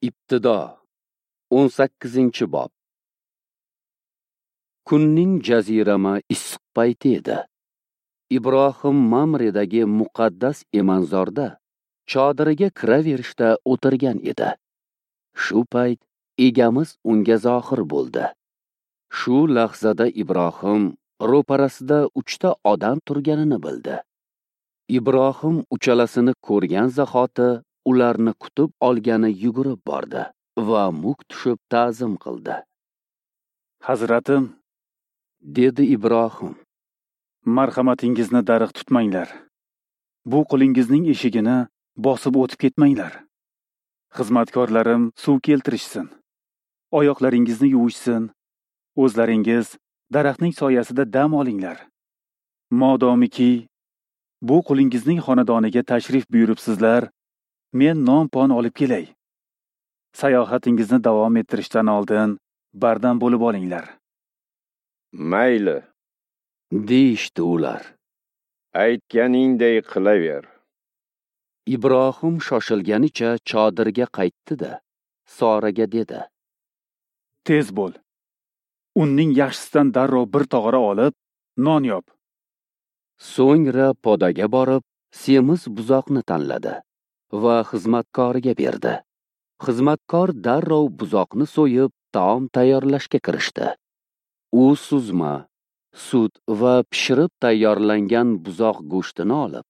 Ibtido 18-bob. Kunning jazirama issiq payti edi. Ibrohim Mamredagi muqaddas emanzorda chodiriga kiraverishda o'tirgan edi. Shu payt egamiz unga zohir bo'ldi. Shu lahzada Ibrohim ro'parasida 3 ta odam turganini bildi. Ibrohim uchalasini ko'rgan zahoti ularni kutib olgani yugurib bordi va muk tushib ta'zim qildi. Hazratim, dedi Ibrohim, marhamatingizni darig' tutmanglar. Bu qulingizning eshigini bosib o'tib ketmanglar. Xizmatkorlarim suv keltirishsin, oyoqlaringizni yuvishsin, o'zlaringiz daraxtning soyasida dam olinglar. Modomiki bu qulingizning xonadoniga tashrif buyuribsizlar, men non-pon olib kelay. Sayohatingizni davom ettirishdan oldin bardam bo'lib olinglar. Mayli, deyishdi ular. Aytganingday qilaver. Ibrohim shoshilganicha chodirga qaytdi-da, Soraga dedi: Tez bo'l. Unning yaxshisidan darrov bir tog'ora olib, non yop. So'ngra podaga borib, semiz buzoqni tanladi va xizmatkoriga berdi. Xizmatkor darrov buzoqni so'yib, taom tayyorlashga kirishdi. U suzma, sut va pishirib tayyorlangan buzoq go'shtini olib,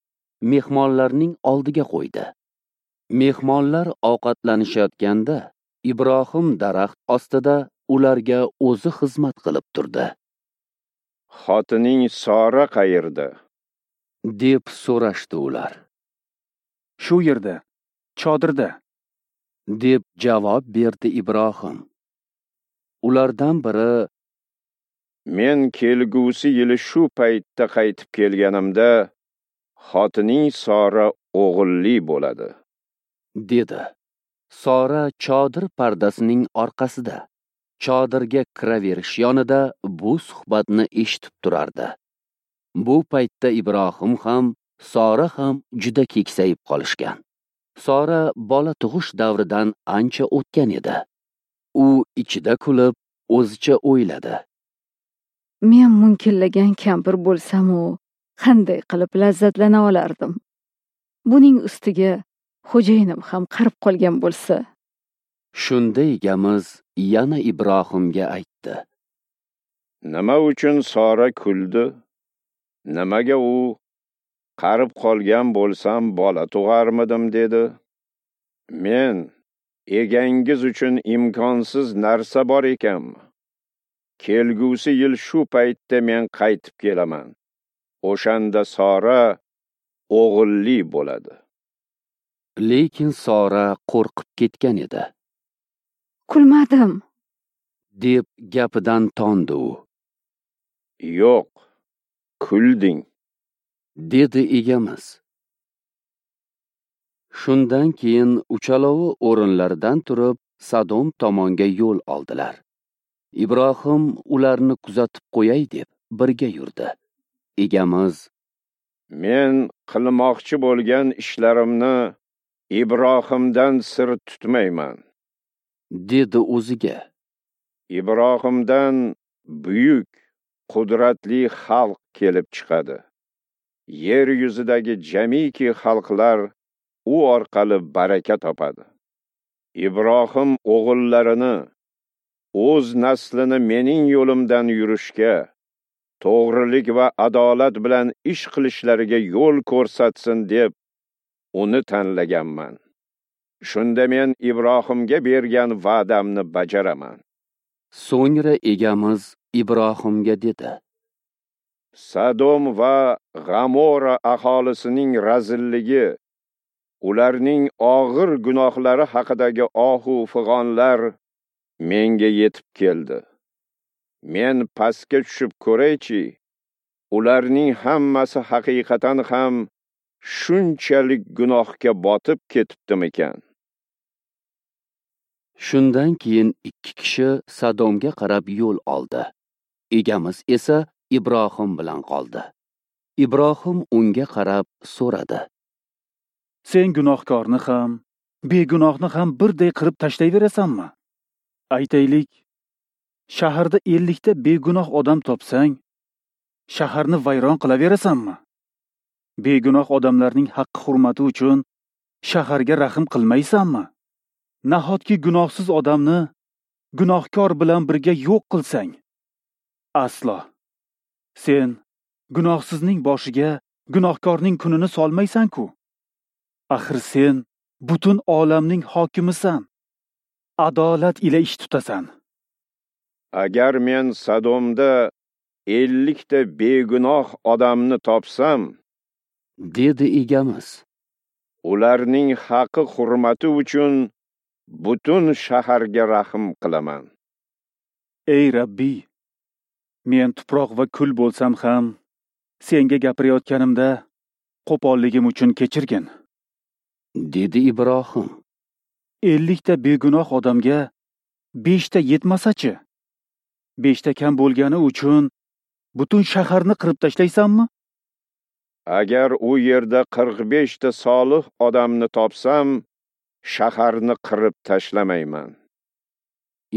mehmonlarning oldiga qo'ydi. Mehmonlar ovqatlanishayotganda Ibrohim daraxt ostida ularga o'zi xizmat qilib turdi. Xotining Sora qayerda? Deb so'rashdi ular. Shu yerda, chodirda, deb javob berdi Ibrohim. Ulardan biri: Men kelgusi yili shu paytda qaytib kelganimda xotining Sora o'g'illi bo'ladi, dedi. Sora chodir pardasining orqasida, chodirga kiraverish yonida bu suhbatni eshitib turardi. Bu paytda Ibrohim ham, Sora ham juda keksayib qolishgan. Sora bola tug'ish davridan ancha o'tgan edi. U ichida kulib, o'zicha o'yladi: Men munkillagan kampir bo'lsam-u, qanday qilib lazzatlana olardim? Buning ustiga xo'jayinim ham qarib qolgan bo'lsa. Shunda egamiz yana Ibrohimga aytdi: Nima uchun Sora kuldi? Nimaga u qarib qolgan bo'lsam bola tug'armidim dedi? Men egangiz uchun imkonsiz narsa bor ekanmi? Kelgusi yil shu paytda men qaytib kelaman. O'shanda Sora o'g'illi bo'ladi. Lekin Sora qo'rqib ketgan edi. Kulmadim, deb gapidan tondi u. Yo'q, kulding, dedi egamiz. Shundan keyin uchalovi o'rinlaridan turib, Sodom tomonga yo'l oldilar. Ibrohim ularni kuzatib qo'yay deb birga yurdi. Egamiz: Men qilmoqchi bo'lgan ishlarimni Ibrohimdan sir tutmayman, dedi o'ziga. Ibrohimdan buyuk, qudratli xalq kelib chiqadi. Yer yuzidagi jamiki xalqlar u orqali baraka topadi. Ibrohim o'g'illarini, o'z naslini mening yo'limdan yurishga, to'g'rilik va adolat bilan ish qilishlariga yo'l ko'rsatsin deb uni tanlaganman. Shunda men Ibrohimga bergan va'damni bajaraman. So'ngra egamiz Ibrohimga dedi: Sodom va G'amora aholisining razilligi, ularning og'ir gunohlari haqidagi ohu fig'onlar menga yetib keldi. Men pastga tushib ko'raychi, ularning hammasi haqiqatan ham shunchalik gunohga botib ketibdimikan? Shundan keyin 2 kishi Sodomga qarab yo'l oldi. Egamiz esa Ibrohim bilan qoldi. Ibrohim unga qarab so'radi: Sen gunohkorni ham, begunohni ham birday qirib tashlayverasanmi? Aytaylik, shaharda 50 ta begunoh odam topsang, shaharni vayron qilaverasanmi? Begunoh odamlarning haqqi hurmati uchun shaharga rahm qilmaysanmi? Nahotki gunohsiz odamni gunohkor bilan birga yo'q qilsang? Aslo. Sen gunohsizning boshiga gunohkorning kunini solmaysan-ku. Axir sen butun olamning hokimisan. Adolat ila ish tutasan. Agar men Sadomda 50 ta begunoh odamni topsam, dedi Egamiz, ularning haqqi hurmati uchun butun shaharga rahm qilaman. Ey Rabbiy, men tuproq va kul bo'lsam ham, senga gapirayotganimda qo'polligim uchun kechirgin, dedi Ibrohim. 50 ta begunoh odamga 5 ta yetmasa-chi? 5 ta kam bo'lgani uchun butun shaharni qirib tashlaysanmi? Agar u yerda 45 ta solih odamni topsam, shaharni qirib tashlamayman.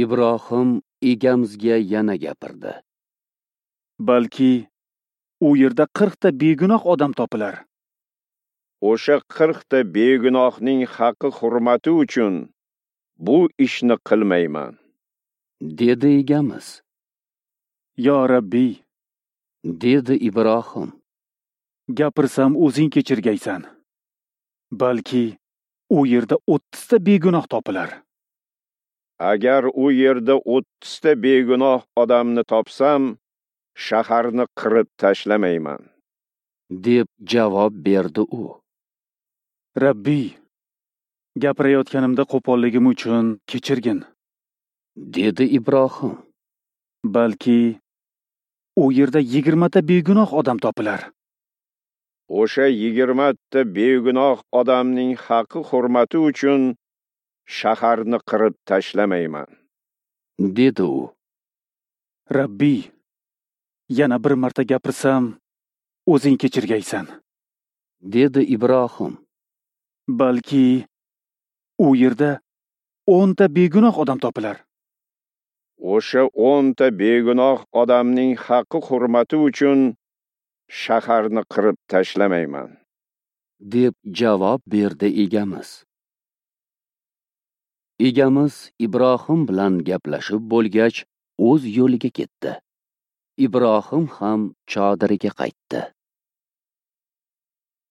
Ibrohim Egamizga yana gapirdi. Balki u yerda 40 ta begunoh odam topilar. O'sha 40 ta begunohning haqqi hurmati uchun bu ishni qilmayman, dedi Egamiz. Yo Rabbiy, dedi Ibrohim, gapirsam o'zing kechirgaysan. Balki u yerda 30 ta begunoh topilar. Agar u yerda 30 ta begunoh odamni topsam, shaharni qirib tashlamayman, deb javob berdi u. Rabbiy, gapirayotganimda qo'polligim uchun kechirgin, dedi Ibrohim. Balki u yerda 20 ta begunoh odam topilar. O'sha 20 ta begunoh odamning haqqi hurmati uchun shaharni qirib tashlamayman, dedi u. Rabbiy, yana bir marta gapirsam, o'zing kechirgaysan, dedi Ibrohim. Balki u yerda 10 ta begunoh odam topilar. O'sha 10 ta begunoh odamning haqqi hurmati uchun shaharni qirib tashlamayman, deb javob berdi Egamiz. Egamiz Ibrohim bilan gaplashib bo'lgach, o'z yo'liga ketdi. Ibrohim ham chodiriga qaytdi.